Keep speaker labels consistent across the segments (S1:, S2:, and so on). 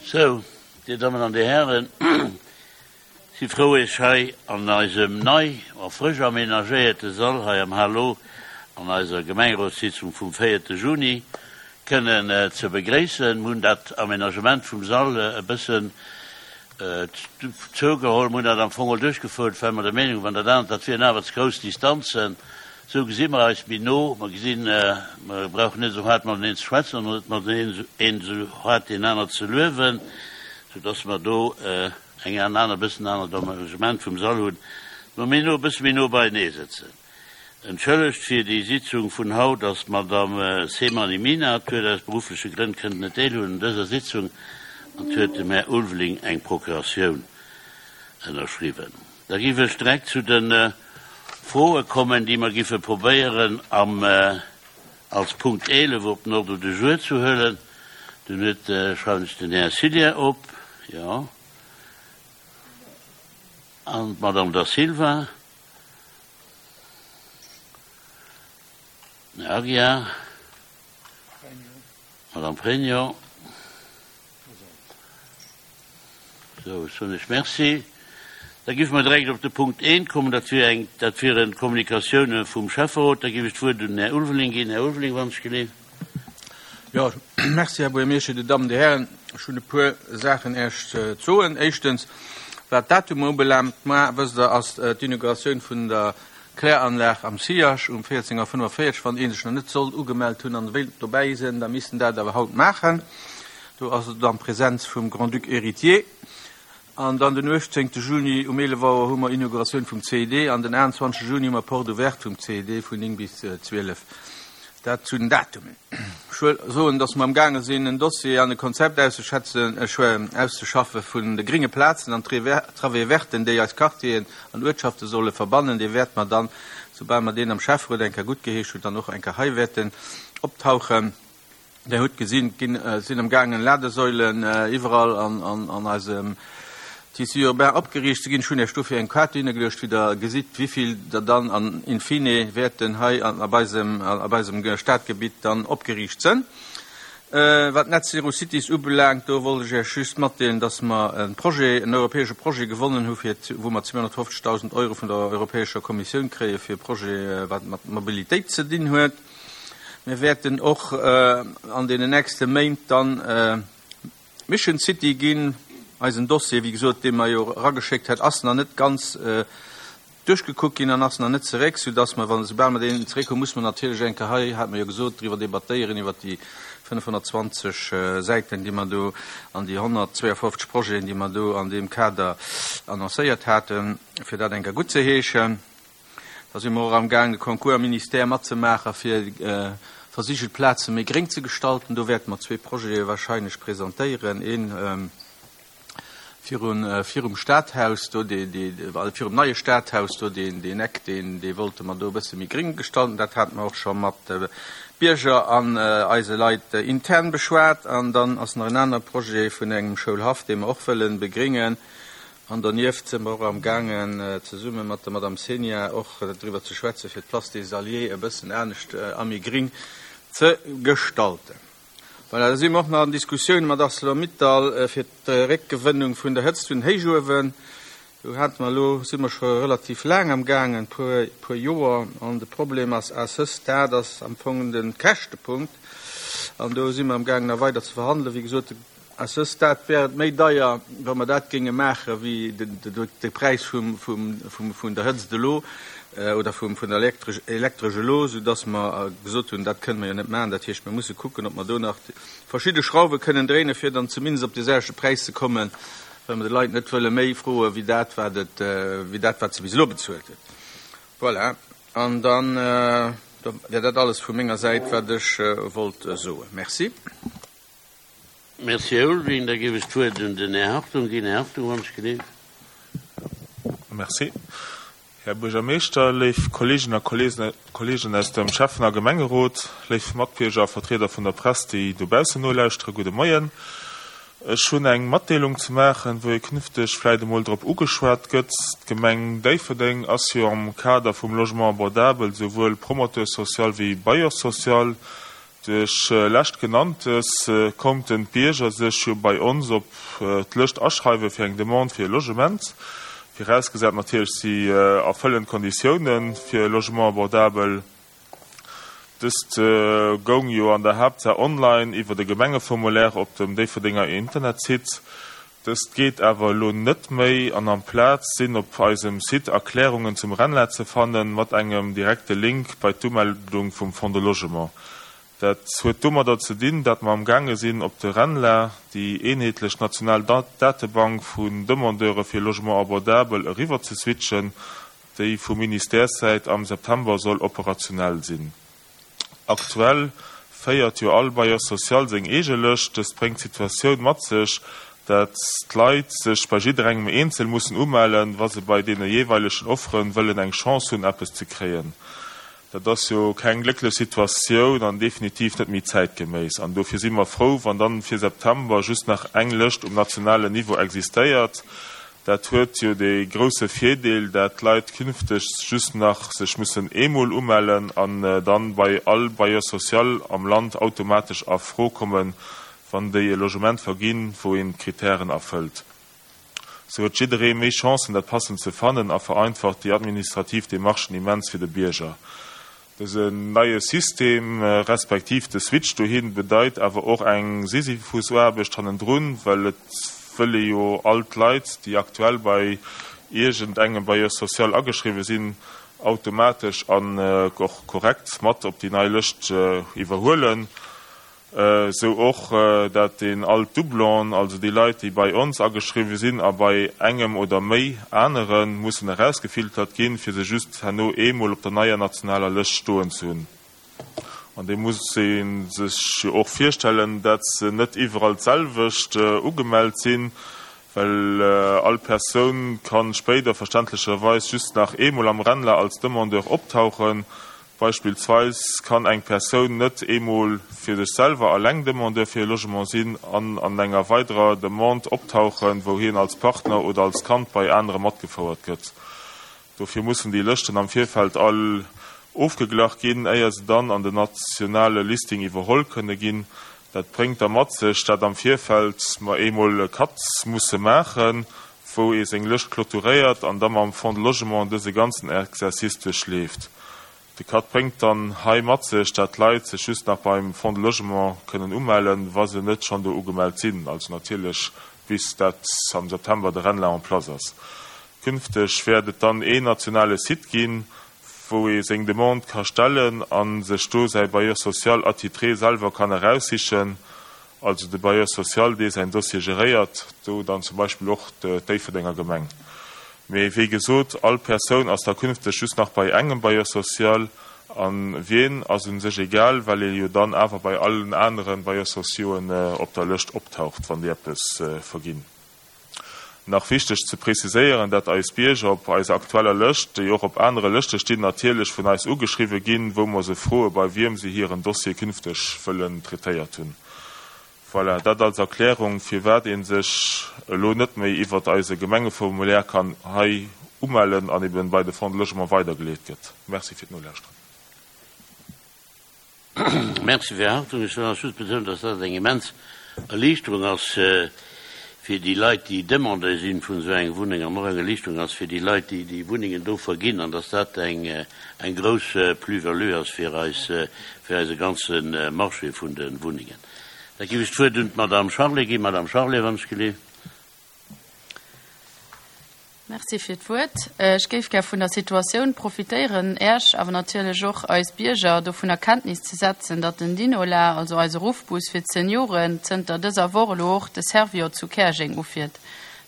S1: Sou, Dir Dammen an Dir Hären, si frou Iech hei an eisem nei a frësch aménagéierte Sall hei am Hallo an eiser Gemengerotssitzung vum véierte Juni kënnen ze begréissen. Mir hunn dat Aménagement vum Sall e bëssen zougeholl. Mir hunn dat am Fong och duerchgefouert, well mer der Meenung waren, dat anert, dat wieren awer ze grouss Distanzen. Esou gesi mer eis méi no. Mer gesinn, mer brauchen net esou haart mateneen ze schwätzen an net mateneen een esou haart deen aner ze luewen, soudass mer do eng aner, e bëssen anert Aménagement vum Sall hunn, mer méi no, e bësse méi no beienee sëtzen. Entschëllegt fir déi Sitzung vun haut ass d'Madame Seymani Mina. D'huet aus beruffleche Grënn kënnen net deelhuelen un dëser Sitzung an d'huet dem Här Ulveling eng Procuratioun ënnerschriwwen. Da giff ech direkt zu de Froe kommen, déi mer giffe probéieren am als Punkt 11 op den Ordre du jour zu huelen. Dunn huet, schreiwen ech den Här Cillien op, jo, an d'Madame Da Silva. Här Aguiar, Madame Pregno. Sou, ech soen lech Merci. Da géife mer direkt op de Punkt eent kommen. Dat wier eng, dat wieren d'Kommunikatioune vum Schäfferot. Da géif ech d'Wuert un den Här Ulveling ginn. Här Ulveling, wann ech geleeft.
S2: Jo, merci, Här Buergermeeschter, Dir Dammen, Dir Hären. Ech hunn e puer Saachen Iech ze soen. Éischtens, wat d'Datumer ubelaangt, Mar, wësst Der, ass d'Inauguratioun vun der Kläranlag am SIAG um 14 Auer 45. Wann ee sech nach net sollt ugemellt hunn an wéilt dobäi sinn, da misst en dat awer haut maachen. Do ass et an Präsenz vum Grand-Duc Héritier. An dann den 18 Juni um 11 Auer hu mer Inauguratioun vum CID an den 21 Juni hu mer Porte ouverte vum CID vun 9 bis 12. Dat zu den Datumen. Ech wëll soen, dass mer amgaange sinn, en Dossier an e Konzept auszeschätzen, auszeschaffe vun de gringe Plazen an Travées verten, déi eis Quartieren an Uertschafte solle verbannen. Dee wäerte mer dann, soubal mer deen am Schäfferot eng Kéier guttgeheescht hunn, dann och eng Kéier hei wäerten optauchen. Där hutt gesinn, et sinn am gaangen Ladesäulen iwwerall an eisem Tissu urbain opgeriicht ze ginn. Ech hunn Iech dofir eng Kaart hinnegeluecht, wou Der gesitt, wivill der dann an in fine wäerten hei ab eisem, ab eisem Stadgebitt dann opgeriicht sënn. Wat Net Zero Cities ubelaangt, do wollt ech Iech just matdeelen, dass mer e Projet, en europäesche Projet gewonnen hu fir, wou mer 250.000 Euro vun der Europäescher Kommissioun kréie fir e Projet, wat mat Mobilitéit ze dinn huet. Mir wäerten och an deenen nächste Méint dann Mission City ginn. Eisen Dossier, wéi gesot, dee mer jo erageschéckt hat, ass nach net ganz duerchgekuckt ginn an ass nach net zeréck, soudass mer, wann, soubal mer deen zeréck hunn, muss mer natierlech eng Kéier hei, hat mer jo gesot, driwwer debattéieren, iwwert déi 520 Säiten, déi mer do an déi 152 Projeten, déi mer do an deem Kader annoncéiert haten, fir dat eng Kéier guttzeheeschen. Da si mer och amgaang, de Concours am Ministère matzemaachen, fir versigelt Plaze méi gréng ze gestalten. Do wäerte mer zwee Projete wahrscheinlech presentéieren, ee virun, virum Stadhaus do, dee, dee, virum neie Stadhaus do, deen, deen Eck, deen, dee wollte mer do e bësse méi gréng gestalten. Dat hate mer och scho mat Bierger an eise Leit intern beschwat. An dann ass nach en anere Projet vun engem Schoulhaff, dee mer och wëllen begréngen. An donieft si mer och am gaangen, zesumme mat der Madame Cenia och driwwer ze schwätzen, fir d'Place des Alliés e bëssen anescht a méi gring ze gestalten. Voilà, da si mer och nach an Diskussioune mat Arcelor-Mittal fir d'Réckgewënnung vun der Hëtzt vun den Héichuewen. Do hate mer elo, si mer scho relativ laang am gaangen, e puer Joer. An de Problem ass à ce stade ass am Fong de Käschtepunkt. An do si mer am gaangen nach weider ze verhandelen. Wéi gesot, À ce stade wär et méi deier, wa mer dat géinge maachen, wéi de Präis vun der Hëtzt elo oder vun der Elektresch elo, soudass mer gesot hunn, dat kënne mer jo net maachen. Dat heescht, mir musse kucken, ob mer do nach verschidde Schrauwe kënnen dréinen, fir dann zumindest op dee selwechte Präis ze kommen, well mer de Leit net wëlle méi froe wéi dat, wat et, wéi dat, wat se bis elo bezuelt hunn. Voilà, an da wär dat alles vu menger Säit, wat ech wollt soen. Merci.
S1: Merci, Här Ulveling. Da géif ech d'Wuert un den Här Hartung ginn. Här Hartung, wann ech geleeft.
S3: Merci, Här Buergermeeschter, léif Kolleeginnen a Kolleegen aus dem Schäffen a Gemengerot, léif Matbierger a Vertrieder vun der Press, déi dobaussen nolauschteren, gudde Moien. Ech hunn eng Matdeelung ze maachen, wou ee künfteg vläicht emol drop ugeschwat gëtt. D'Gemeng Déifferdeng ass jo am Kader vum Logement abordable souwuel Promoteur social wéi Bailleur social. Duerch leschtgenanntes konnten d'Bierger sech jo bei ons op d'Lëscht aschreiwe fir eng Demande fir e Logement, virausgesat natierlech si erfëllen d'Konditiounen fir e Logement abordabel. Dëst goung jo an der Haaptsaach online iwwer e Gemengeformulaire op dem Déifferdenger Internetsite. Dëst geet awer elo net méi an amplaz sinn op eisem Site Erklärungen zum RENLA ze fannen, mat engem direkte Link bei d'Umeldung vum Fonds de Logement. Dat huet domadder ze dinn, dat mer am gaange sinn op de RENLA, déi eenheetlech national Datebank vun Demandeure fir Logement abordabel, eriwwer ze switchen, déi vu Ministèressäit am September soll operationell sinn. Aktuell féiert jo all Bailleur social seng eege Lëscht. Dëst bréngt d'Situatioun mat sech, dat d'Leit sech bei jidderengem eenzel mussen umellen, wa se bei deene jeeweilegen Offeren wëllen eng Chance hunn, eppes ze kréien. Dat ass jo keng glécklech Situatioun an definitiv net méi zäitgeméiss. An dofir si mer frou, wann dann fir September just nach eng Lëscht um nationalen Niveau existéiert. Dat huet jo dee grousse Virdeel, dat d'Leit künfteg just nach sech mussen eemol umellen an dann bei all Bailleur social am Land automatesch a Fro kommen, wann déi e Logement verginn, wou een d'Kritären erfëllt. Sou huet jidderee méi Chancen, dat Passend ze fannen a vereinfacht déi administrativ Demarchen immens fir de Bierger. Dësen neie System, respektiv de Switch dohin, bedeit awer och eng Sisyphusaarbecht hannendrun, well et wëll ee jo all d'Leit, déi aktuell bei iergend engem Bailleur social ageschriwwe sinn, automatesch an och korrekt mat op déi nei Lëscht iwwerhuelen. Sou och dat een all d'Doublon, also déi Leit déi bei ons ageschriwwe sinn a bei engem oder méi aneren, mussen erausgefiltert ginn, fir se just herno eemol op der neier nationaler Lëscht stoen ze hunn. An déi muss ee sech jo och virstellen, dat se net iwwerall d'selwecht ugemellt sinn, well all Persoun kann spéider verständlecherweis just nach eemol am RENLA als Demandeur optauchen, Beispillsweis kann eng Persoun net eemol fir sech selwer alleng Demandeur fir e Logement sinn an an enger weiderer Demande optauchen, wou hien als Partner oder als Kand bei anere matgefouert gëtt. Dofir mussen déi Lëschten am Virfeld all ofgeglach ginn, éier se dann an den nationale Listing iwwerholl kënne ginn. Dat bréngt da mat sech, dat am Virfeld mer eemol e Cut musse maachen, wou ee seng Lëscht clôturéiert an da mam Fonds de Logement dëse ganzen Exercice duerchleeft. De Cut bréngt dann hei mat sech, dat d'Leit sech just nach beim Fonds de Logement kënnen umellen, wa se net schonn do ugemellt sinn, also natierlech bis dat am September de RENLA en place ass. Künfteg wäert et dann een nationale Site ginn, wou ee seng Demande ka stellen a sech do säi Bailleur social attitré selwer kann eraussichen. Also de Bailleur social, dee säin Dossier geréiert, do dann zum Beispill och d'Déifferdenger Gemeng. Mee wéi gesot, all Persoun ass da künfteg just nach bei engem Bailleur social. A wien ass u sech egal, well ee jo dann awer bei allen anere Bailleurs sociauxen op der Lëscht optaucht, wann déi eppes verginn. Nach wichteg ze preziséieren, dat eis Bierger op eiser aktueller Lëscht, déi och op anere Lëschte stinn, natierlech vun eis ugeschriwwe ginn, wou mer se froe bei wiem se hiren Dossier künfteg wëllen traitéiert hunn. Voilà, dat als Erklärung firwat ee sech elo net méi iwwert eise Gemengeformulaire kann hei umellen an eben bei de Fonds de Logement weidergeleet gëtt. Merci fir d'Nolauschteren.
S1: Merci fir Är Haltung. Ech wëll nach just betounen, dass dat eng immens Erliichterung ass fir déi Leit, déi Demandeur si vun esou enger Wunneng, an och eng Erliichterung ass fir déi Leit, déi déi Wunnengen do verginn, an dass dat eng grouss Plus-value ass fir eis, fir eise ganze Marché vun de Wunnengen. Da géif ech d'Wuert un d'Madame Charlé ginn. Madame Charlé, wann ech geleeft.
S4: Merci fir d'Wuert. Ech géif gär vun der Situatioun profitéieren, Äerch, awer natierlech och eis Bierger dovunner Kenntnis ze setzen, datt den Dinola, also eise Ruffbus fir d'Senioren, zënter dëser Woch elo och de Servior zu Käerjeng ufiert.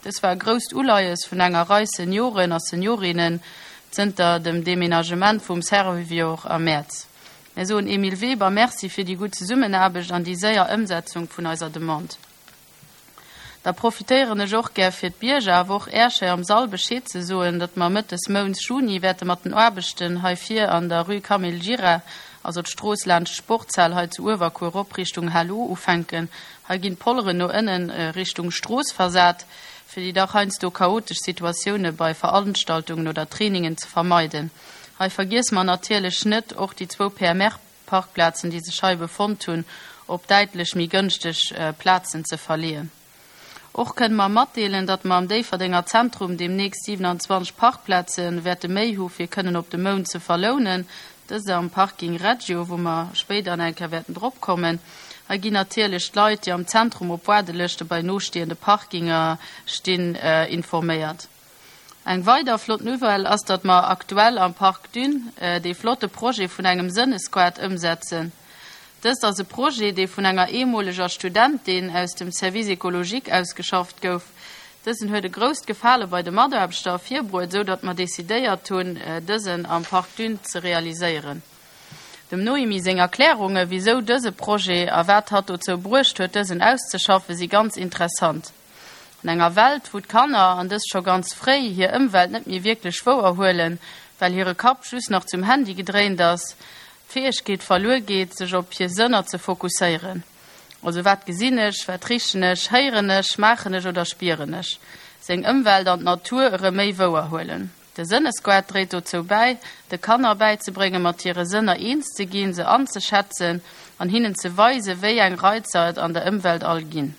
S4: Dës war e grousst Uleies vun enger Rei Senioren a Seniorinnen zënter dem Deménagement vum Servior am Mäerz. Mär soen Emile Weber Merci fir déi gutt Zesummenaarbecht an déi séier Ëmsetzung vun eiser Demande. Da profitéieren ech och gär fir d'Bierger, awer och Äerch hei am Sall Bescheed ze soen, datt mer Mëtt des Mounts Juni wäerte mat den Aarbechten hei vir an der Rue Camille Gira, also d'Strooss laanscht d'Sportshal hei zu Uewerkuer erop Richtung Halo ufänken. Hei ginn d'Polleren no ënnen Richtung Strooss versat, fir déi dach heiansdo chaotesch Situatioune bei Veranstaltungen oder Trainingen ze vermeiden. Hei vergiesse mer natierlech net och déi zwou PMR. Parkplazen, déi sech hei befonnt hunn, op däitlech méi gënschteg Plazen ze verleeën. Och kënne mer matdeelen, datt mer am Déifferdenger Zentrum deemnächst 27 Parkplaze wäerte méi hu fir kënnen op de Mount ze verlounen, dëst am Parking Reggio, wou mer spéider nach eng Kéier wäerten drop kommen. Hei ginn natierlech d'Leit, déi am Zentrum op Waardelëschte bei nostehende Parkinger stinn, informéiert. Eng weider flott Nouvelle ass, datt mer aktuell am Parc Dune dee flotte Projet vun engem Sënnesquad ëmsetzen. Dëst ass e Projet, dee vun enger ehemoleger Studentin aus dem Service écologique ausgeschafft gouf. Dësen huet e grousst Gefale bei de Mataarbechter ervirbruet, esou datt mer decidéiert hunn, dësen am Parc Dune ze realiséieren. Dem Noémie seng Erklärunge wisou dëse Projet a wat hatt dozou bruecht huet, dësen auszeschaffen, si ganz interessant. An enger Welt, wou d'Kanner, an dëst scho ganz fréi, hir Ëmwelt net méi wierklech wouer huelen, well hire Kapp just nach zum Handy gedréint ass, d'Fäegkeet verluer geet, sech op hir Sënner ze fokusséieren, also wat gesinn ech, wat richen ech, héieren ech, schmaachen ech oder spieren ech, seng Ëmwelt an d'Natur erëm méi wouer huelen. De Sënnesquad dréit dozou bäi, de Kanner bäizebréngen, mat hire Sënner eens ze ginn, se anzeschätzen an hinnen ze weisen, wéi eng Reizer et an der Ëmwelt all ginn.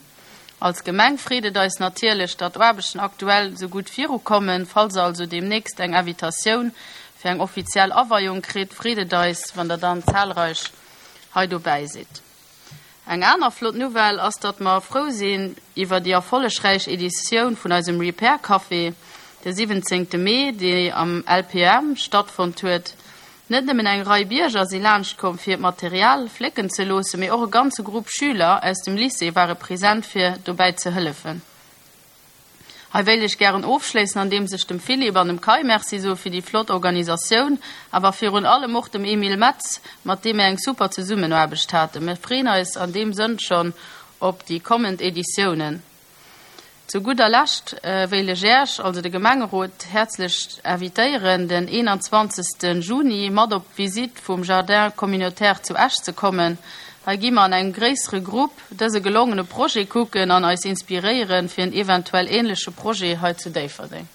S4: Als Gemeng freet et eis natierlech, datt d'Aarbechten aktuell sou gutt virukommen. Falls der also deemnächst eng Invitatioun fir eng offiziell Aweiung kritt, freet et eis, wann der dann zahlreich hei dobäi sidd. Eng aner flott Nouvelle ass, datt mer frou sinn iwwer déi erfollegräich Editioun vun eisem Repair Café de 17 Mee, déi am LPM stattfonnt huet. Net nëmmen eng Rei Bierger si laanscht komm fir hiert Material flécken ze loossen, mee och e ganze Grupp Schüler aus dem Lycée ware present fir dobäi ze hëllefen. Hei wéilt ech gären ofschléissen andeems ech dem Philippe an dem Kai Merci soe fir déi flott Organisatioun, awer virun allem och dem Emile Metz, mat deem mir eng super Zesummenaarbecht haten. Mir freen eis an deem Sënn schonn op déi kommend Editiounen. Zu gudder Lescht wéilt ech Äerch, also de Gemengerot, häerzlech invitéieren, den 21. Juni mat op d'Visitt vum Jardin communautaire zu Esch ze kommen. Hei gi mer an engem gréissere Grupp dëse gelongene Projet kucken an eis inspiréieren fir en eventuell ähnleche Projet hei zu Déifferdeng.